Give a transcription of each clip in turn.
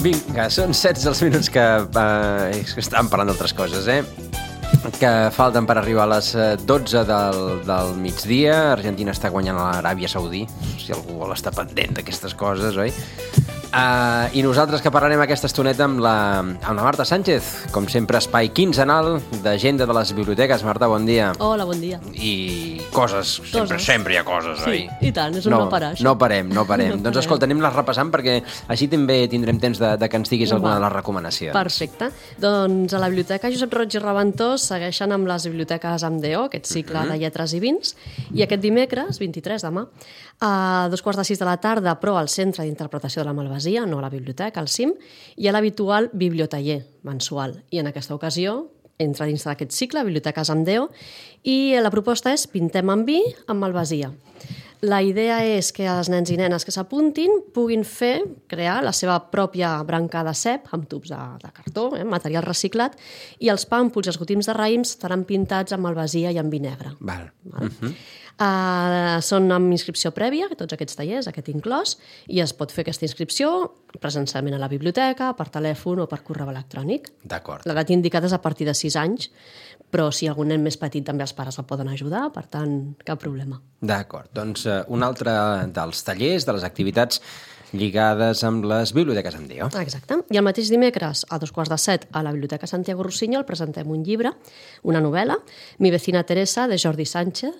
Vinga, són 16 els minuts que estàvem parlant d'altres coses, que falten per arribar a les 12 del migdia. Argentina està guanyant a l'Aràbia Saudí, si algú vol estar pendent d'aquestes coses, oi? I nosaltres que parlarem aquesta estoneta amb la Marta Sánchez, com sempre, espai quinzenal d'agenda de les biblioteques. Marta, bon dia. Hola, bon dia. I coses, sempre hi ha coses, oi? Sí, i tant, és un no parar, això. No parem. Doncs, escolta, anem-les repassant perquè així també tindrem temps de que ens diguis alguna de les recomanacions. Perfecte. Doncs a la Biblioteca Josep Roig i Reventós segueixen amb les biblioteques amb DO, aquest cicle de lletres i vins, i aquest dimecres, 23 demà, a 2:45 de la tarda, però al Centre d'Interpretació de la Malvasia, no a la biblioteca, al CIM, hi ha l'habitual bibliotaller mensual. I en aquesta ocasió entra dins d'aquest cicle, Biblioteques amb DO, i la proposta és Pintem amb vi amb Malvasia. La idea és que els nens i nenes que s'apuntin puguin crear la seva pròpia branca de cep amb tubs de cartó, material reciclat, i els pàmpols i els gotims de raïms estaran pintats amb malvasia i amb vi negre. Val. Són amb inscripció prèvia, tots aquests tallers, aquest inclòs, i es pot fer aquesta inscripció presencialment a la biblioteca, per telèfon o per correu electrònic. D'acord. L'edat indicada és a partir de 6 anys, però si algun nen més petit també els pares el poden ajudar, per tant, cap problema. D'acord. Doncs un altre dels tallers, de les activitats lligades amb les biblioteques amb DO. Exacte. I el mateix dimecres, a 2:15, a la Biblioteca Santiago Rossinyol, presentem un llibre, una novel·la, Mi vecina Teresa, de Jordi Sancho,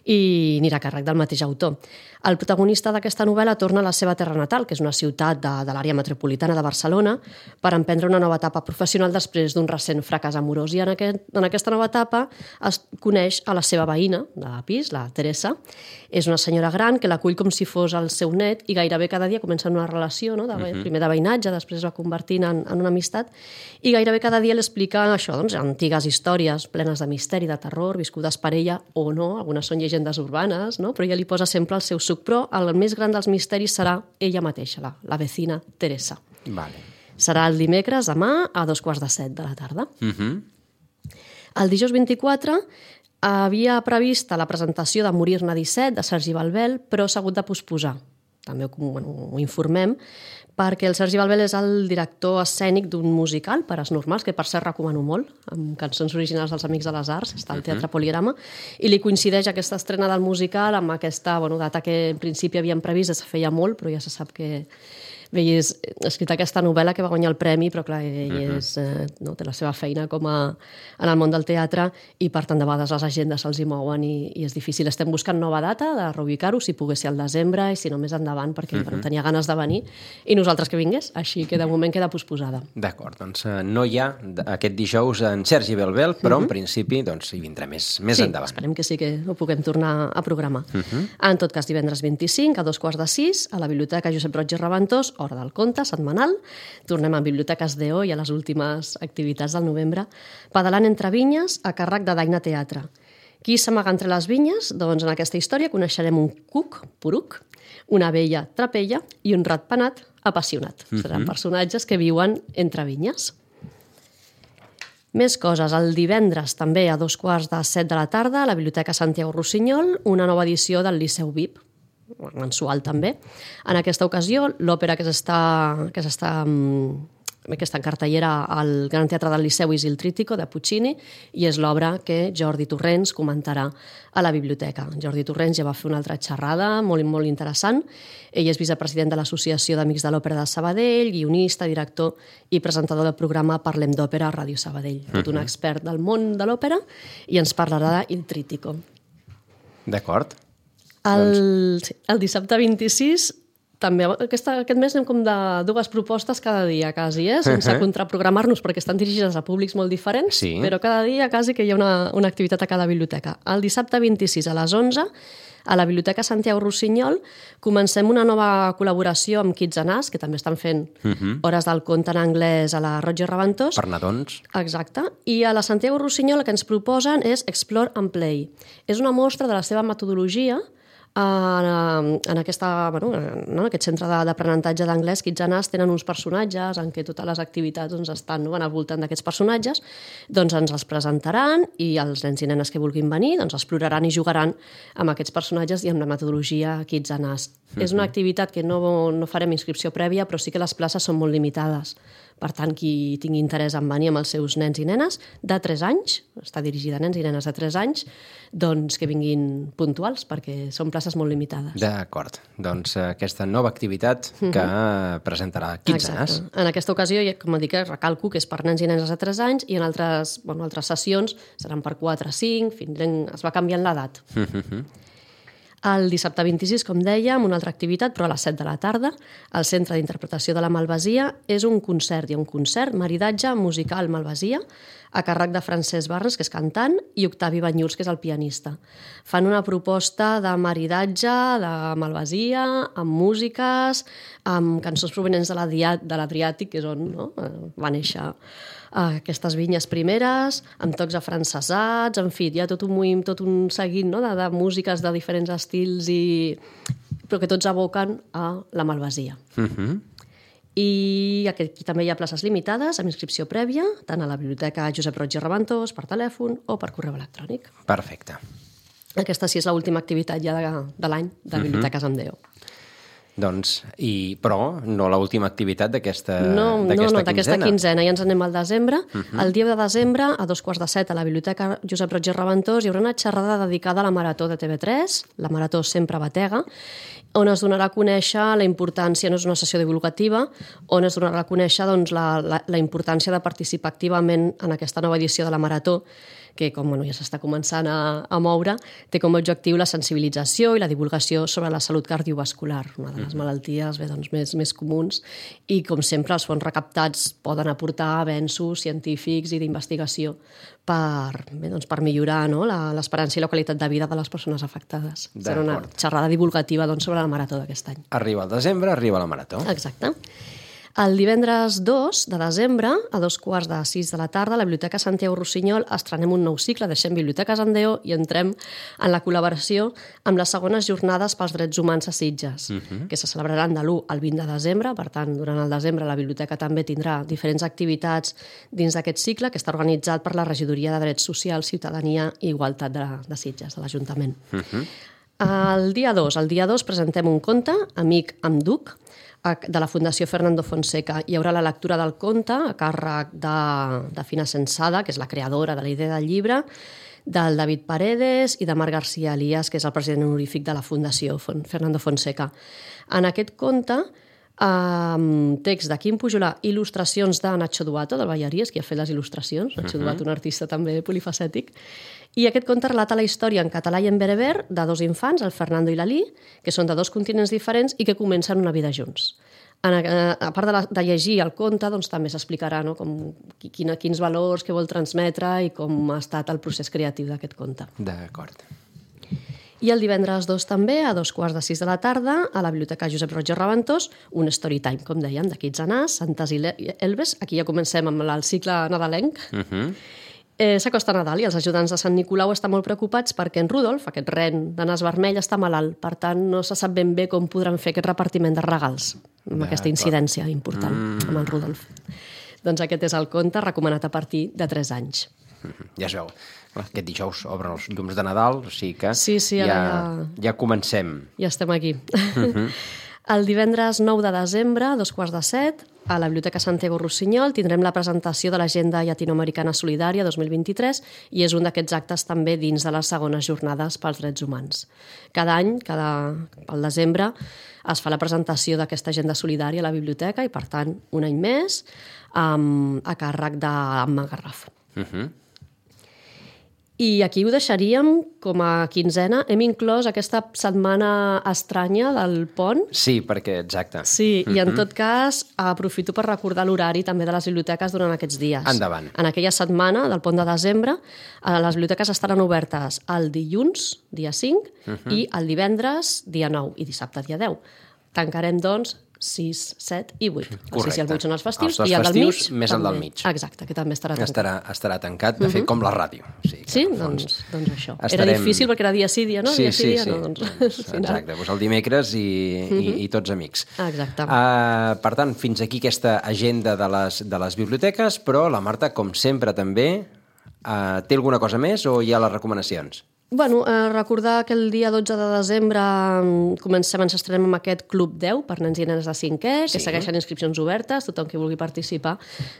i anirà a càrrec del mateix autor. El protagonista d'aquesta novel·la torna a la seva terra natal, que és una ciutat de l'àrea metropolitana de Barcelona, per emprendre una nova etapa professional després d'un recent fracàs amorós. I en aquesta nova etapa es coneix a la seva veïna de pis, la Teresa. És una senyora gran que l'acull com si fos el seu net i gairebé cada dia comença una relació, no? Primer de veïnatge, després es va convertint en una amistat, i gairebé cada dia l'explica això, doncs, antigues històries plenes de misteri, de terror, viscudes per ella o no, algunes són llegendes urbanes, no? Però ella li posa sempre el seu suc, però el més gran dels misteris serà ella mateixa, la vecina Teresa. Vale. Serà el dimecres, demà, a 2:15 de la tarda. El dijous 24 havia prevista la presentació de Morir-ne 17, de Sergi Balbel, però s'ha hagut de posposar. També ho informem, perquè el Sergi Balbel és el director escènic d'un musical, Pares normals, que per cert recomano molt, amb cançons originals dels Amics de les Arts, està al Teatre Poligrama, i li coincideix aquesta estrena del musical amb aquesta data que en principi havien previst, es feia molt, però ja se sap que veies escrita aquesta novel·la que va guanyar el premi, però clar, ell té la seva feina com en el món del teatre i per tant de vegades les agendes se'ls hi mouen i és difícil. Estem buscant nova data de reubicar-ho, si pogués ser al desembre i si no més endavant, perquè tenia ganes de venir i nosaltres que vingués, així que de moment queda posposada. D'acord, doncs no hi ha aquest dijous en Sergi Balbel, però en principi hi vindrà més endavant. Sí, esperem que sí que ho puguem tornar a programar. En tot cas, divendres 25 a 2:15 a la Biblioteca Josep Roig i Reventós, Hora del Conte, setmanal. Tornem a Biblioteques DO i a les últimes activitats del novembre. Pedalant entre vinyes, a càrrec de Daina Teatre. Qui s'amaga entre les vinyes? Doncs en aquesta història coneixerem un cuc, poruc, una abella, trapella, i un ratpenat, apassionat. Seran personatges que viuen entre vinyes. Més coses. El divendres, també a 2:15 de la tarda, a la Biblioteca Santiago Rossinyol, una nova edició del Liceu VIP, mensual també. En aquesta ocasió, l'òpera que està en cartellera al Gran Teatre del Liceu és Il Trítico, de Puccini, i és l'obra que Jordi Torrents comentarà a la biblioteca. Jordi Torrents ja va fer una altra xerrada molt, molt interessant. Ell és vicepresident de l'Associació d'Amics de l'Òpera de Sabadell, guionista, director i presentador del programa Parlem d'Òpera a Ràdio Sabadell. Tot un expert del món de l'òpera i ens parlarà d'Il Trítico. D'acord. El dissabte 26, també aquest mes anem com de dues propostes cada dia, quasi, sense contraprogramar-nos, perquè estan dirigides a públics molt diferents, però cada dia quasi que hi ha una activitat a cada biblioteca. El dissabte 26 a les 11, a la Biblioteca Santiago Rossinyol, comencem una nova col·laboració amb Kids and Us, que també estan fent hores del conte en anglès a la Roig i Reventós. Per nadons. Exacte. I a la Santiago Rossinyol el que ens proposen és Explore and Play. És una mostra de la seva metodologia En aquest centre d'aprenentatge d'anglès, Kids and Us, tenen uns personatges en què totes les activitats estan al voltant d'aquests personatges, doncs ens els presentaran i els nens i nenes que vulguin venir exploraran i jugaran amb aquests personatges i amb la metodologia Kids and Us. És una activitat que no farem inscripció prèvia, però sí que les places són molt limitades. Per tant, qui tingui interès en venir amb els seus nens i nenes de 3 anys, està dirigida a nens i nenes de 3 anys, doncs que vinguin puntuals, perquè són places molt limitades. D'acord. Doncs aquesta nova activitat que presentarà Kids and Us. En aquesta ocasió, com dic, recalco que és per nens i nenes de 3 anys i en altres sessions seran per 4, 5, es va canviant l'edat. El dissabte 26, com dèiem, una altra activitat, però a les 7 de la tarda, al Centre d'Interpretació de la Malvasia, és un concert. Hi ha un concert, maridatge musical Malvasia, a càrrec de Francesc Barnes, que és cantant, i Octavi Banyuls, que és el pianista. Fan una proposta de maridatge, de Malvasia, amb músiques, amb cançons provenents de l'Adriàtic, que és on va néixer aquestes vinyes primeres, amb tocs afrancesats, en fi, hi ha tot un seguit de músiques de diferents estils, però que tots aboquen a la Malvasia. I aquí també hi ha places limitades, amb inscripció prèvia, tant a la Biblioteca Josep Roig i Reventós, per telèfon o per correu electrònic. Perfecte. Aquesta sí és l'última activitat ja de l'any de Biblioteques amb DEO. Doncs, però no l'última activitat d'aquesta d'aquesta quinzena. Ja ens anem al desembre. El dia de desembre, a 6:45, a la Biblioteca Josep Roig i Reventós, hi haurà una xerrada dedicada a la Marató de TV3, la Marató Sempre Batega, on es donarà a conèixer la importància, no és una sessió divulgativa, on es donarà a conèixer la importància de participar activament en aquesta nova edició de la Marató, que com ja s'està començant a moure, té com a objectiu la sensibilització i la divulgació sobre la salut cardiovascular, una de les malalties més comuns, i com sempre els fons recaptats poden aportar avenços científics i d'investigació per millorar l'esperança i la qualitat de vida de les persones afectades. Serà una xerrada divulgativa sobre la Marató d'aquest any. Arriba el desembre, arriba la Marató. Exacte. El divendres 2 de desembre, a 5:45 de la tarda, a la Biblioteca Santiago Rossinyol estrenem un nou cicle, deixem Biblioteques en DEO i entrem en la col·laboració amb les segones jornades pels drets humans a Sitges, que se celebraran de l'1 al 20 de desembre. Per tant, durant el desembre la biblioteca també tindrà diferents activitats dins d'aquest cicle, que està organitzat per la Regidoria de Drets Socials, Ciutadania i Igualtat de Sitges, de l'Ajuntament. El dia 2 presentem un conte, Amic amb Duc, de la Fundació Fernando Fonseca. Hi haurà la lectura del conte a càrrec de Fina Sensada, que és la creadora de la idea del llibre, del David Paredes i de Marc García Elias, que és el president honorífic de la Fundació Fernando Fonseca. En aquest conte, text de Quim Pujolà, il·lustracions de Nacho Duato, del Ballaries, que ha fet les il·lustracions. Nacho Duato, un artista també polifacètic. I aquest conte relata la història en català i en bereber de 2 infants, el Fernando i l'Ali, que són de 2 continents diferents i que comencen una vida junts. A part de llegir el conte, també s'explicarà quins valors que vol transmetre i com ha estat el procés creatiu d'aquest conte. D'acord. I el divendres 2 també, a 5:45 de la tarda, a la Biblioteca Josep Roig i Reventós, un story time, com dèiem, de Kids and Us, Santes i Elves. Aquí ja comencem amb el cicle nadalenc. S'acosta Nadal i els ajudants de Sant Nicolau estan molt preocupats perquè en Rudolf, aquest ren de nas vermell, està malalt. Per tant, no se sap ben bé com podran fer aquest repartiment de regals, amb aquesta incidència important amb el Rudolf. Doncs aquest és el conte recomanat a partir de 3 anys. Ja es veu. Aquest dijous obren els llums de Nadal, o sigui que ja comencem. Ja estem aquí. El divendres 9 de desembre, a 6:45, a la Biblioteca Santiago Rossinyol tindrem la presentació de l'Agenda Llatinoamericana Solidària 2023 i és un d'aquests actes també dins de les segones jornades pels drets humans. Cada any, al desembre, es fa la presentació d'aquesta agenda solidària a la biblioteca i, per tant, un any més a càrrec d'Amma Garraf. I aquí ho deixaríem com a quinzena. Hem inclòs aquesta setmana estranya del pont. Sí, perquè, exacte. Sí, i en tot cas aprofito per recordar l'horari també de les biblioteques durant aquests dies. Endavant. En aquella setmana del pont de desembre, les biblioteques estaran obertes el dilluns, dia 5, i el divendres, dia 9, i dissabte, dia 10. Tancarem, doncs, 6, 7 i 8. Correcte. No sé si el 8 són els festius. Els dos i el festius del mig, més el del mig. Exacte, que també estarà tancat. Estarà tancat, de fet, com la ràdio. Sí, doncs això. Era difícil perquè era dia sí, dia no, dia sí, dia no. Exacte, doncs el dimecres i tots amics. Exacte. Per tant, fins aquí aquesta agenda de les biblioteques, però la Marta, com sempre també, té alguna cosa més o hi ha les recomanacions? Bueno, recordar que el dia 12 de desembre ens estrenem amb aquest Club 10 per nens i nenes de 5è, que segueixen inscripcions obertes, tothom que vulgui participar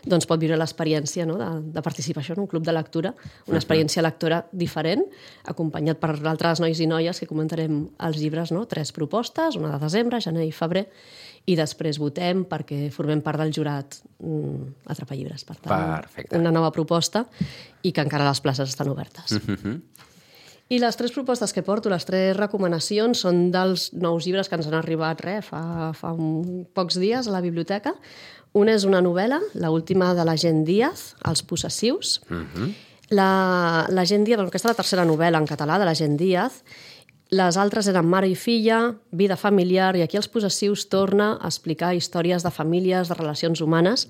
doncs pot viure l'experiència de participar això en un club de lectura, una experiència lectora diferent, acompanyat per altres nois i noies que comentarem els llibres, 3 propostes, una de desembre, gener i febrer, i després votem perquè formem part del jurat Atrapallibres. Per tant, perfecte. Una nova proposta i que encara les places estan obertes. I les 3 propostes que porto, les 3 recomanacions, són dels nous llibres que ens han arribat fa pocs dies a la biblioteca. Una és una novel·la, l'última de la Gent Díaz, Els possessius. La Gent Díaz, aquesta és la tercera novel·la en català de la Gent Díaz. Les altres eren Mare i filla, Vida familiar, i aquí Els possessius torna a explicar històries de famílies, de relacions humanes.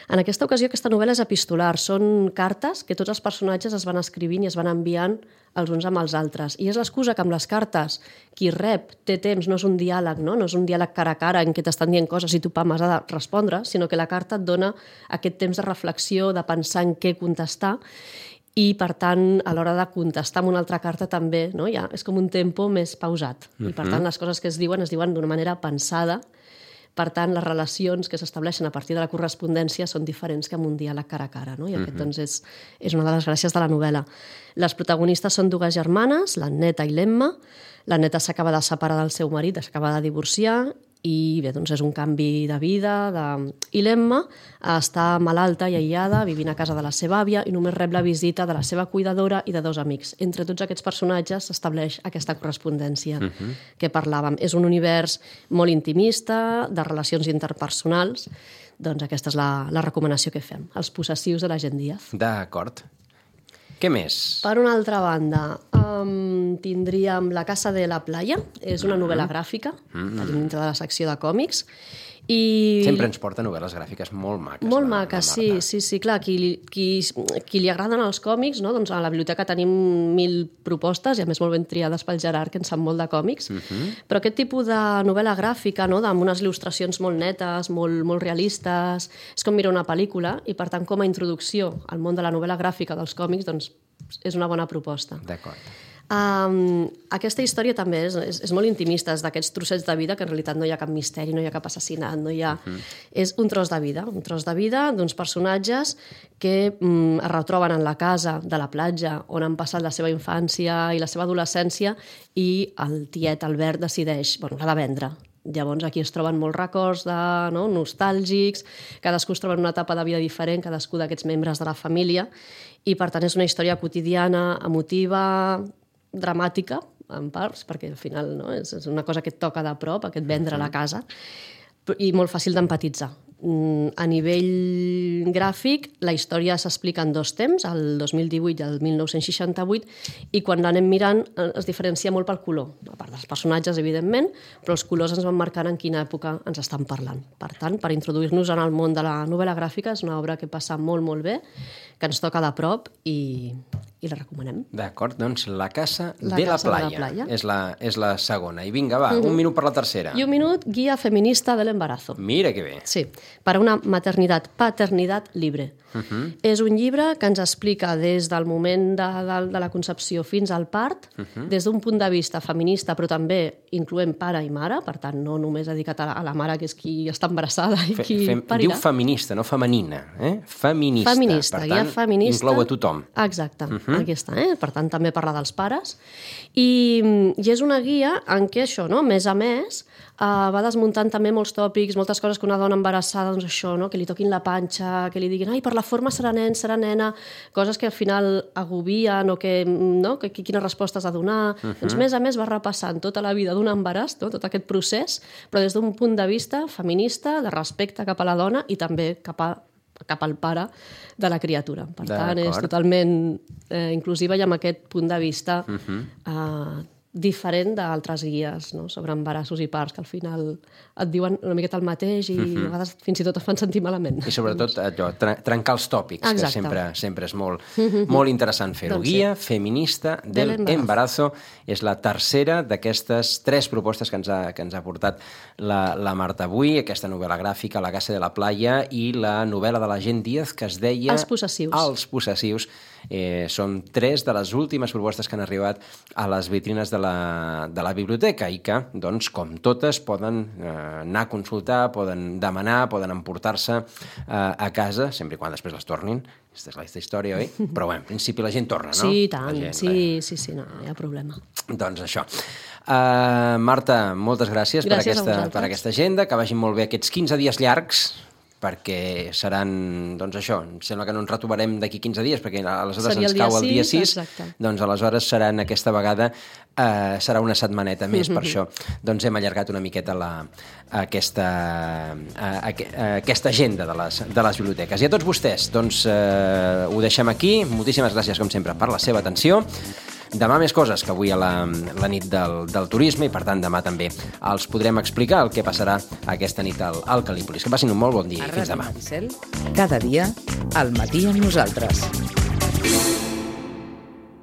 En aquesta ocasió, aquesta novel·la és epistolar. Són cartes que tots els personatges es van escrivint i es van enviant els uns amb els altres. I és l'excusa que amb les cartes qui rep té temps, no és un diàleg, no és un diàleg cara a cara en què t'estan dient coses i tu, pam, has de respondre, sinó que la carta et dona aquest temps de reflexió, de pensar en què contestar, i, per tant, a l'hora de contestar amb una altra carta també, ja és com un tempo més pausat. I, per tant, les coses que es diuen d'una manera pensada. Per tant, les relacions que s'estableixen a partir de la correspondència són diferents que amb un diàleg cara a cara. I aquest doncs, és una de les gràcies de la novel·la. Les protagonistes són 2 germanes, l'Anneta i l'Emma. L'Anneta s'acaba de separar del seu marit, s'acaba de divorciar, i bé, doncs és un canvi de vida. I l'Emma està malalta i aïllada, vivint a casa de la seva àvia, i només rep la visita de la seva cuidadora i de 2 amics. Entre tots aquests personatges s'estableix aquesta correspondència que parlàvem. És un univers molt intimista, de relacions interpersonals. Doncs aquesta és la recomanació que fem. Els possessius de la Gent Díaz. D'acord. Què més? Per una altra banda, tindríem La casa de la playa. És una novel·la gràfica, dintre de la secció de còmics. Sempre ens porta novel·les gràfiques molt maques. Molt maques, sí, clar. Qui li agraden els còmics, doncs a la biblioteca tenim 1.000 propostes, i a més molt ben triades pel Gerard, que en sap molt de còmics. Però aquest tipus de novel·la gràfica, amb unes il·lustracions molt netes, molt realistes, és com mirar una pel·lícula, i per tant, com a introducció al món de la novel·la gràfica dels còmics, doncs és una bona proposta. D'acord. Aquesta història també és molt intimista, és d'aquests trossets de vida que en realitat no hi ha cap misteri, no hi ha cap assassinat, no hi ha... És un tros de vida d'uns personatges que es retroben en la casa de la platja on han passat la seva infància i la seva adolescència, i el tiet Albert decideix, l'ha de vendre. Llavors aquí es troben molts records nostàlgics, cadascú es troba en una etapa de vida diferent, cadascú d'aquests membres de la família, i per tant és una història quotidiana, emotiva, dramàtica, en parts, perquè al final és una cosa que et toca de prop, aquest vendre la casa, i molt fàcil d'empatitzar. A nivell gràfic, la història s'explica en 2 temps, el 2018 i el 1968, i quan l'anem mirant es diferencia molt pel color, a part dels personatges, evidentment, però els colors ens van marcant en quina època ens estan parlant. Per tant, per introduir-nos en el món de la novel·la gràfica, és una obra que passa molt, molt bé, que ens toca de prop i la recomanem. D'acord, doncs La casa de la playa és la segona. I vinga, va, un minut per la tercera. I un minut, Guia feminista del embarazo. Mira que bé. Sí, para una paternidad libre. És un llibre que ens explica des del moment de la concepció fins al part, des d'un punt de vista feminista, però també incloent pare i mare, per tant, no només dedicat a la mare, que és qui està embarassada i qui parirà. Diu feminista, no femenina. Feminista. Feminista, per tant, feminista. Inclou a tothom. Exacte, aquí està. Per tant, també parla dels pares. I és una guia en què això, més a més, va desmuntant també molts tòpics, moltes coses que una dona embarassada, doncs això, que li toquin la panxa, que li diguin, ai, per la forma serà nen, serà nena, coses que al final agobien o que quines respostes ha de donar. Doncs més a més va repassant tota la vida d'un embaràs, tot aquest procés, però des d'un punt de vista feminista, de respecte cap a la dona i també cap al pare de la criatura. Per tant, és totalment inclusiva i amb aquest punt de vista diferent d'altres guies, no?, sobre embarassos i parts, que al final et diuen una miqueta el mateix i a vegades fins i tot et fan sentir malament. I sobretot allò, trencar els tòpics, exacte, que sempre és molt interessant fer-ho. Doncs sí. Guia feminista del embarazo és la tercera d'aquestes 3 propostes que ens ha portat la Marta avui, aquesta novel·la gràfica, La casa de la playa, i la novel·la de la Gent Díaz, que es deia... Els possessius. Els possessius. Són 3 de les últimes propostes que han arribat a les vitrines de la biblioteca i que, doncs, com totes, poden anar a consultar, poden demanar, poden emportar-se a casa, sempre i quan després les tornin. Aquesta és la història, oi? Però bé, en principi la gent torna, no? Sí, tant. Sí, no hi ha problema. Doncs això. Marta, moltes gràcies per aquesta agenda, que vagin molt bé aquests 15 dies llargs, perquè seran, doncs això, em sembla que no ens retrobarem d'aquí 15 dies, perquè aleshores ens cau el dia 6, doncs aleshores seran aquesta vegada, serà una setmaneta més, per això doncs hem allargat una miqueta aquesta agenda de les biblioteques. I a tots vostès, doncs ho deixem aquí. Moltíssimes gràcies, com sempre, per la seva atenció. Demà més coses, que avui a la nit del turisme, i per tant demà també els podrem explicar el que passarà aquesta nit al Cal·lípolis. Que passin un molt bon dia i fins demà. Cada dia, al matí amb nosaltres.